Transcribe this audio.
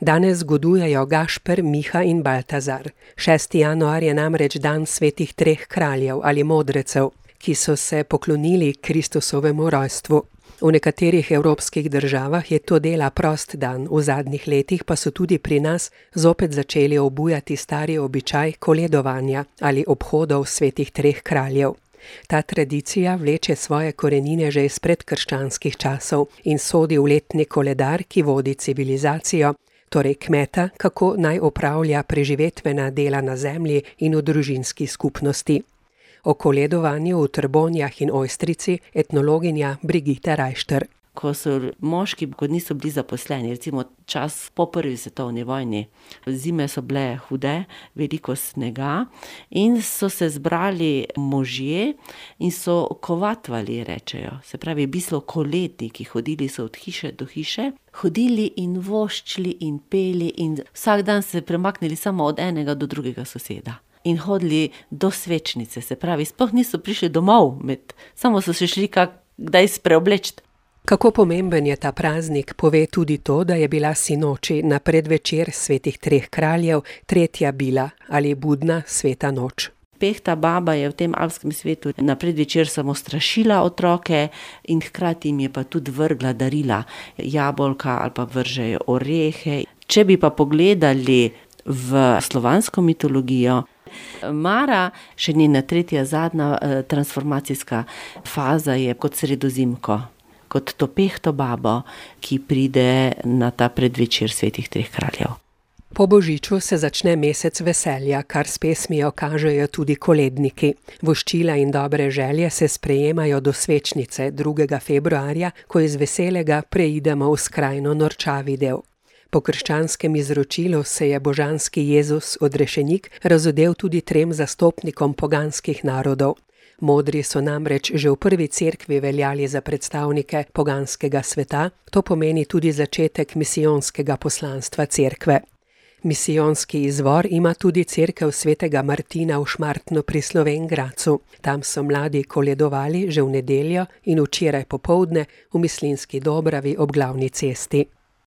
Danes zgodujejo Gašper, Miha in Baltazar. 6. januar je namreč dan svetih treh kraljev ali modrecev, ki so se poklonili Kristusovemu rojstvu. V nekaterih evropskih državah je to dela prost dan, v zadnjih letih pa so tudi pri nas zopet začeli obujati stari običaj koledovanja ali obhodov svetih treh kraljev. Ta tradicija vleče svoje korenine že iz predkrščanskih časov in sodi v letni koledar, ki vodi civilizacijo, torej kmeta, kako naj opravlja preživetvena dela na zemlji in v družinski skupnosti. O koledovanju v Trbonjah in Ojstrici etnologinja Brigitte Reichter. Ko so moški, ko niso bili zaposleni, recimo čas po prvi svetovni vojni, zime so bile hude, veliko snega in so se zbrali možje in so kovatvali, rečejo. Se pravi, bislo koletniki, hodili so od hiše do hiše, hodili in voščili in peli in vsak dan se premaknili samo od enega do drugega soseda. In hodili do svečnice, se pravi, sploh niso prišli domov, samo so se šli kdaj spreobleči. Kako pomemben je ta praznik, pove tudi to, da je bila sinoči na predvečer svetih treh kraljev tretja bila ali budna sveta noč. Pehta baba je v tem alpskem svetu na predvečer samo strašila otroke in hkrati jim je pa tudi vrgla darila, jabolka ali pa vržejo orehe. Če bi pa pogledali v slovansko mitologijo, Mara, še njena tretja zadnja transformacijska faza je kot sredozimko, kot to pehto babo, ki pride na ta predvečer svetih treh kraljev. Po božiču se začne mesec veselja, kar s pesmijo kažejo tudi koledniki. Voščila in dobre želje se sprejemajo do svečnice 2. februarja, ko iz veselega preidemo v skrajno norčavi del. Po krščanskem izročilu se je božanski Jezus, odrešenik, razodel tudi 3 zastopnikom poganskih narodov. Modri so namreč že v prvi cerkvi veljali za predstavnike poganskega sveta, to pomeni tudi začetek misijonskega poslanstva cerkve. Misijonski izvor ima tudi cerkev svetega Martina v Šmartnu pri Slovenj Gradcu. Tam so mladi koledovali že v nedeljo in včeraj popoldne v Mislinjski Dobravi ob glavni cesti.